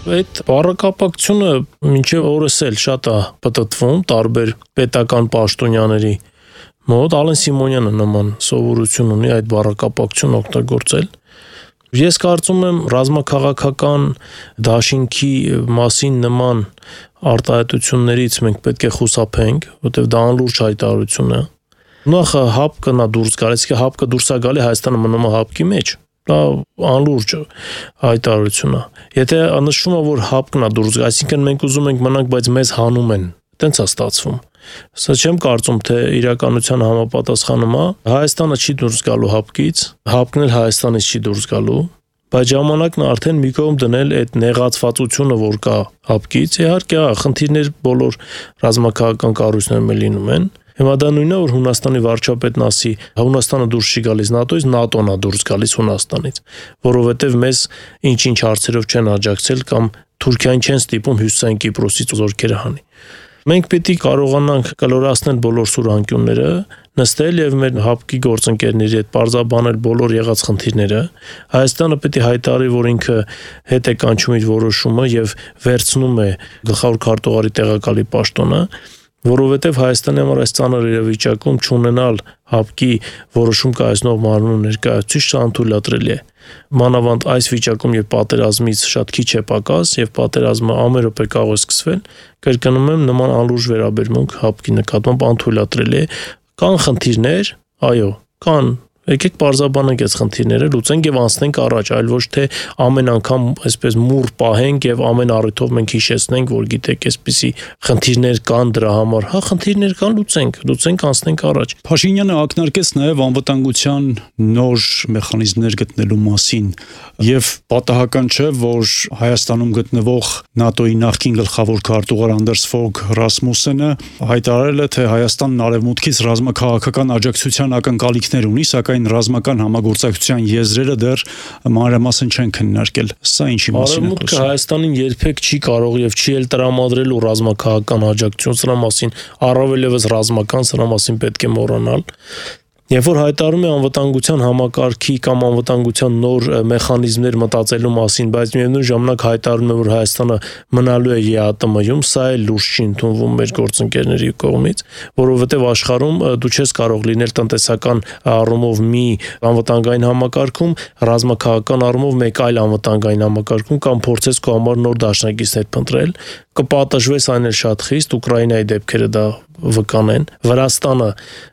Այդ բառակապակցությունը մինչև օրս էլ շատ է պտտվում տարբեր պետական պաշտոնյաների մոտ։ Ալեն Սիմոնյանը նման սովորություն ունի այդ բառակապակցությունը օգտագործել։ Ես կարծում եմ ռազմաքաղաքական դաշինքի մասին նման արտահայտություններից մենք պետք է խուսափենք, որտեղ դա անլուրջ հայտարարություն է։ Նախ հապկը նա դուրս գալիս, հապկը դուրս է գալի Հայաստանը մնում է հապկի մեջ։ Դա անլուրջ հայտարարություն է։ Եթե նշվում է, որ հապկն է դուրս գալիս, այսինքն մենք ուզում ենք մնանք, բայց մեզ հանում են, տենց է ստացվում։ Սա չեմ կարծում, թե իրականության համապատասխանում է։ Հայաստանը չի դուրս գալու հապկից, հապկն էլ Հայաստանից չի դուրս գալու, բայց ժամանակն է արդեն մի կողմ դնել այդ նեղացվածությունը, որ կա հապկից։ Իհարկե, խնդիրներ բոլոր ռազմաքաղաքական կառույցներում լինում են։ Հիմա դա նույնն է, որ Հունաստանի վարչապետն ասի, Հունաստանը դուրս չի գալիս ՆԱՏՕ-ից, ՆԱՏՕ-ն է դուրս գալիս Հունաստանից, որովհետև մեզ ինչ-ինչ հարցերով չեն աջակցել կամ Թուրքիան չեն ստիպում Հյուսիսային Կիպրոսից զորքերը հանի։ Մենք պետք է կարողանանք կլորացնել բոլոր սուրանկյունները, նստել եւ մեր հապկի գործընկերների հետ բարձաբանել բոլոր եղած խնդիրները։ Հայաստանը պետք է հայտարարի, որ ինքը հետ է կանչում իր որոշումը եւ վերցնում է գլխավոր քարտուղարի տեղակալի պաշտոնը, որովհետև Հայաստանի համար այս ծանր իրավիճակում չունենալ հապկի որոշում կայացնող մարմնու ներկայացուցիչ անթույլատրելի է։ Մանավանդ այս վիճակում, երբ պատերազմից շատ քիչ է պակաս եւ պատերազմը ամեն րոպե կարող է սկսվել, կրկնում եմ, նման անլուրջ վերաբերմունք հապկի նկատմամբ անթույլատրելի է։ Կան խնդիրներ, այո, կան։ Եկեք բարձաբանենք այս խնդիրները, լուծենք եւ անցնենք առաջ, այլ ոչ թե ամեն անգամ այսպես մուռ պահենք եւ ամեն առիթով մենք հիշեցնենք, որ գիտեք, այսպիսի խնդիրներ կան դրա համար։ Հա, խնդիրներ կան, լուծենք, անցնենք առաջ։ Փաշինյանը ակնարկեց նաեւ անվտանգության նոր մեխանիզմներ գտնելու մասին եւ պատահական չէ, որ Հայաստանում գտնվող ՆԱՏՕ-ի նախկին գլխավոր քարտուղար Անդերս Ֆոգ Ռասմուսենը հայտարարել է, թե Հայաստանն արևմուտքից ռազմաքաղաքական աջակցության ակնկալիքներ ունի, սակայն ռազմական համագործակցության եզրերը դեռ մանրամասն չեն քննարկել։ Սա ինչի մասին է խոսքը։ Արևմուտքը Հայաստանին երբեք չի կարող եւ չի էլ տրամադրելու ռազմաքաղաքական աջակցություն, սրա մասին առավել եւս ռազմական, սրա մասին պետք է մոռանալ։ Երբ որ հայտարարում է անվտանգության համակարգի կամ անվտանգության նոր մեխանիզմներ մտածելու մասին, բայց միևնույն ժամանակ հայտարարում է, որ Հայաստանը մնալու է ԵԱՏՄ-ում, սա էլ լուրջ չի ընդունվում մեր գործընկերների կողմից, որովհետև աշխարհում դու չես կարող լինել տնտեսական առումով մի անվտանգային համակարգում, ռազմաքաղաքական առումով մեկ այլ անվտանգային համակարգում կամ փորձես քո համար նոր դաշնակիցներ փնտրել, կպատժվես այն էլ շատ խիստ, Ուկրաինայի դեպքերը դա վկանեն։ Վրաստանը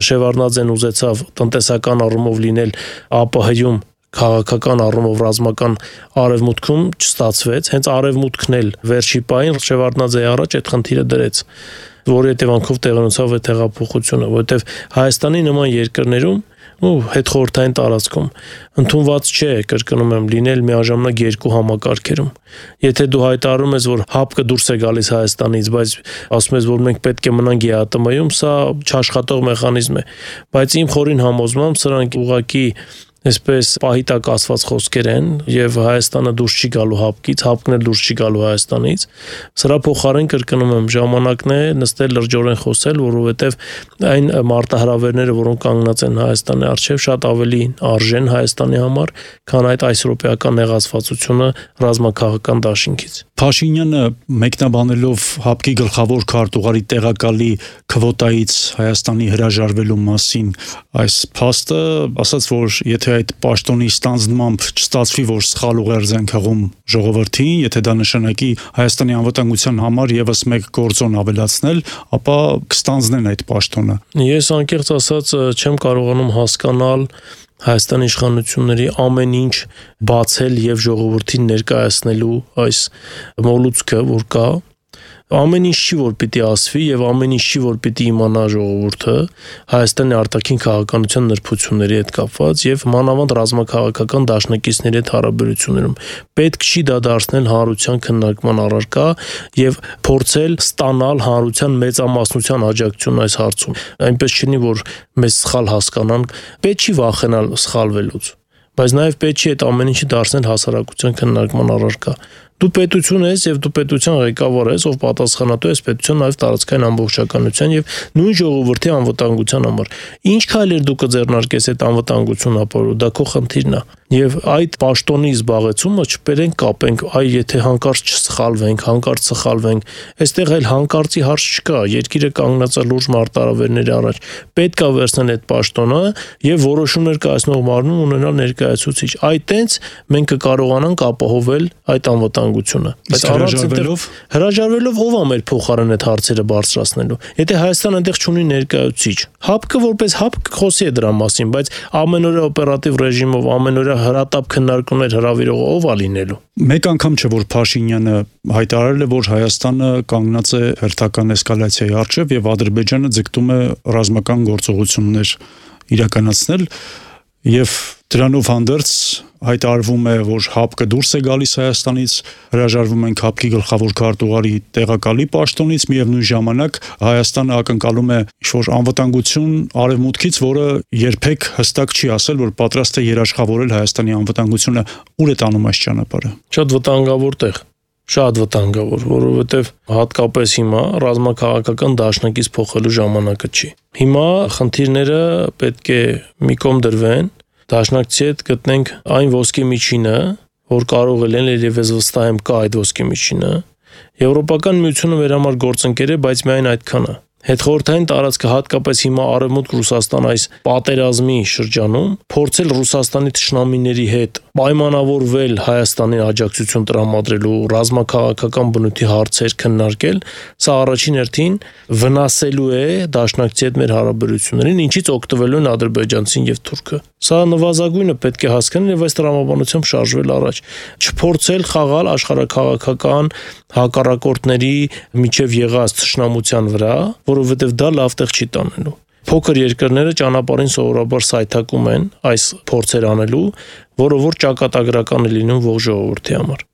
Շևարդնաձեն ուզեցավ տնտեսական առումով լինել ԱՊՀ-ում, քաղաքական առումով ռազմական արևմուտքում չստացվեց, հենց արևմուտքն էլ վերջի պահին Շևարդնաձեի առաջ այդ խնդիրը դրեց, որի հետևանքով տեղի ունեցավ այդ հեղափոխությունը, որովհետև Հայաստանի նման երկրներում հետխորհրդային տարածքում ընդունված չէ, կրկնում եմ, լինել միաժամանակ երկու համակարգերում։ Եթե դու հայտարարում ես, որ հապկը դուրս է գալիս Հայաստանից, բայց ասում ես, որ մենք պետք է մնանք ԵԱՏՄ-ում, սա չաշխատող մեխանիզմ է, բայց իմ խորին համոզմամբ սրանք ուղղակի այսպես պահի տակ ասված խոսքեր են եւ Հայաստանը դուրս չի գալու հապկից, հապկն էլ դուրս չի գալու Հայաստանից։ Սրա փոխարեն կրկնում եմ, ժամանակն է նստել լրջորեն խոսել, որովհետեւ այն մարտահրավերները, որոնք կանգնած են Հայաստանի առջեւ, շատ ավելի արժեն Հայաստանի համար, քան այդ այսրոպեական նեղացվածությունը ռազմաքաղաքական դաշինքից։ Փաշինյանը մեկնաբանելով հապկի գլխավոր քարտուղարի տեղակալի քվոտայից Հայաստանի հրաժարվելու մասին այս փաստը ասաց, որ եթե այդ պաշտոնի ստանձնմամբ չստացվի, որ սխալ ուղերձ են հղում ժողովրդին, եթե դա նշանակի Հայաստանի անվտանգության համար եւս մեկ գործոն ավելացնել, ապա կստանձնեն այդ պաշտոնը։ Ես անկեղծ ասած չեմ կարողանում հասկանալ Հայաստանի իշխանությունների ամեն ինչ բացել եւ ժողովրդին ներկայացնելու այս մոլուցքը, որ կա, ամեն ինչ չի, որ պիտի ասվի եւ ամեն ինչ չի, որ պիտի իմանա ժողովուրդը Հայաստանի արտաքին քաղաքականության նրբությունների հետ կապված եւ մանավանդ ռազմաքաղաքական դաշնակիցների հետ հարաբերություններում պետք չի դա դարձնել հանրության քննարկման առարկա եւ փորձել ստանալ հանրության մեծամասնության աջակցություն այս հարցում։ Այնպես չլինի, որ մեզ սխալ հասկանան, պետք չի վախենալ սխալվելուց, բայց նաեւ պետք չի այդ ամեն ինչը դարձնել հասարակության քննարկման առարկա։ Դու պետություն ես եւ դու պետության ղեկավար ես, ով պատասխանատու է պետության նաեւ տարածքային ամբողջականության եւ նույն ժողովրդի անվտանգության համար։ Ինչ քայլեր դու կձեռնարկես այդ անվտանգությունը ապահովելու, դա քո խնդիրն է։ Եվ այդ պաշտոնի զբաղեցումը չբերենք կապենք, այ եթե հանկարծ չսխալվենք, հանկարծ սխալվենք, այստեղ այլ հանկարծի հարց չկա, երկիրը կանգնած է լուրջ մարտահրավերների առաջ։ Պետք է վերցնել այդ պաշտոնը եւ որոշումներ կայացնող մարմին ունենալ ներկայացուցիչ։ Այդ տենց մենք կկարողանանք ապահովել այդ անվտանգությունը։ Բայց հրաժարվելով ով է մեր փոխարեն այդ հարցերը բարձրացնելու։ Եթե Հայաստանը այնտեղ չունի ներկայացուցիչ, ՀԱՊԿ-ը որպես ՀԱՊԿ խոսի է դրա մասին, բայց ամենօրյա օպերատիվ ռեժիմով, ամենօրյա հրատապ քննարկումներ հրավիրողը ով է լինելու։ Մեկ անգամ չէ որ Փաշինյանը հայտարարել է, որ Հայաստանը կանգնած է հերթական էսկալացիայի առջև եւ Ադրբեջանը ձգտում է ռազմական գործողություններ իրականացնել եւ դրանով հանդերձ հայտարարվում է, որ ՀԱՊԿ-ը դուրս է գալիս Հայաստանից, հրաժարվում են ՀԱՊԿ-ի գլխավոր քարտուղարի տեղակալի պաշտոնից, միևնույն ժամանակ Հայաստանը ակնկալում է ինչ-որ անվտանգություն արևմուտքից, որը երբեք հստակ չի ասել, որ պատրաստ է երաշխավորել Հայաստանի անվտանգությունը, ուր է տանում այս ճանապարհը։ Շատ վտանգավոր տեղ։ Շատ վտանգավոր, որովհետև հատկապես հիմա ռազմաքաղաքական դաշնակից փոխելու ժամանակը չի։ Հիմա խնդիրները պետք է մի կողմ դրվեն, դաշնակցի հետ գտնենք այն ոսկի միջինը, որ կարող է լինել եւ ես վստահ եմ կա այդ ոսկի միջինը։ Եվրոպական միությունը մեր համար գործընկեր է, բայց միայն այդքանը։ Հետխորհրդային տարածքը հատկապես հիմա արևմուտք Ռուսաստան այս պատերազմի շրջանում փորձել Ռուսաստանի թշնամիների հետ պայմանավորվել Հայաստանին աջակցություն տրամադրելու ռազմաքաղաքական բնույթի հարցեր քննարկել, սա առաջին հերթին վնասելու է դաշնակցի հետ մեր հարաբերություններին, ինչից օգտվելու են ադրբեջանցին եւ թուրքը։ Սա նվազագույնը պետք է հասկանալ եւ այս տրամաբանությամբ շարժվել առաջ։ Չփորձել խաղալ աշխարհաքաղաքական հակառակորդների միջև եղած թշնամության վրա, որովհետև դա լավ տեղ չի տանելու։ Փոքր երկրները ճանապարհին սովորաբար սայթակում են այս փորձեր անելու, որը որ ճակատագրական է լինում ողջ ժողովրդի համար։